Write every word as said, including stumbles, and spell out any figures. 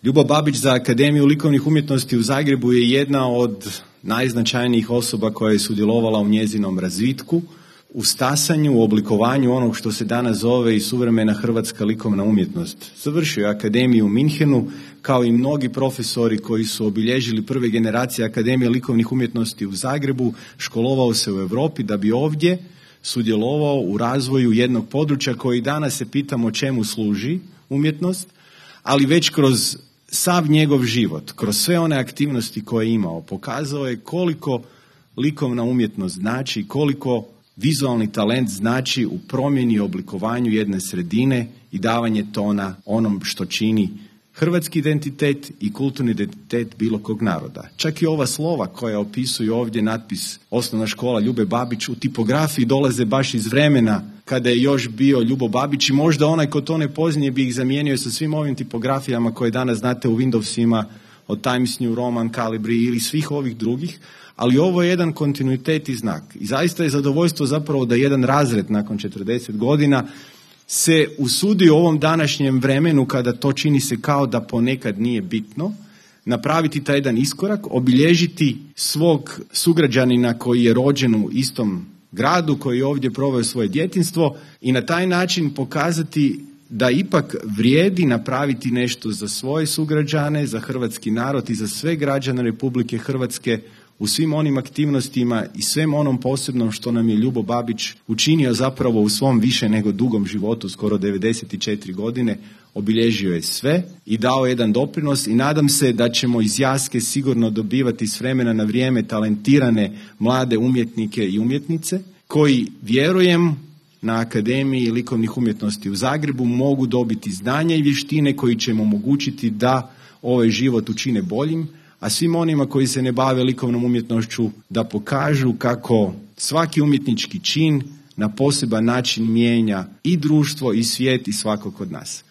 Ljubo Babić za Akademiju likovnih umjetnosti u Zagrebu je jedna od najznačajnijih osoba koja je sudjelovala u njezinom razvitku, u stasanju, u oblikovanju onog što se danas zove i suvremena hrvatska likovna umjetnost. Završio je Akademiju u Minhenu, kao i mnogi profesori koji su obilježili prve generacije Akademije likovnih umjetnosti u Zagrebu, školovao se u Europi da bi ovdje sudjelovao u razvoju jednog područja koji danas se pitamo čemu služi umjetnost, ali već kroz sav njegov život, kroz sve one aktivnosti koje je imao, pokazao je koliko likovna umjetnost znači, koliko vizualni talent znači u promjeni i oblikovanju jedne sredine i davanje tona onom što čini hrvatski identitet i kulturni identitet bilo kog naroda. Čak i ova slova koja opisuju ovdje natpis Osnovna škola Ljube Babić u tipografiji dolaze baš iz vremena kada je još bio Ljubo Babić i možda onaj ko to ne poznije bi ih zamijenio sa svim ovim tipografijama koje danas znate u Windowsima od Times New Roman, Calibri ili svih ovih drugih, ali ovo je jedan kontinuitet i znak. I zaista je zadovoljstvo zapravo da jedan razred nakon četrdeset godina se usudi u ovom današnjem vremenu, kada to čini se kao da ponekad nije bitno, napraviti taj jedan iskorak, obilježiti svog sugrađanina koji je rođen u istom gradu, koji je ovdje proveo svoje djetinjstvo i na taj način pokazati da ipak vrijedi napraviti nešto za svoje sugrađane, za hrvatski narod i za sve građane Republike Hrvatske u svim onim aktivnostima i svem onom posebnom što nam je Ljubo Babić učinio zapravo u svom više nego dugom životu, skoro devedeset četiri godine, obilježio je sve i dao jedan doprinos i nadam se da ćemo iz Jaske sigurno dobivati s vremena na vrijeme talentirane mlade umjetnike i umjetnice koji, vjerujem, na Akademiji likovnih umjetnosti u Zagrebu mogu dobiti znanja i vještine koji će im omogućiti da ovaj život učine boljim, a svim onima koji se ne bave likovnom umjetnošću da pokažu kako svaki umjetnički čin na poseban način mijenja i društvo i svijet i svakog od nas.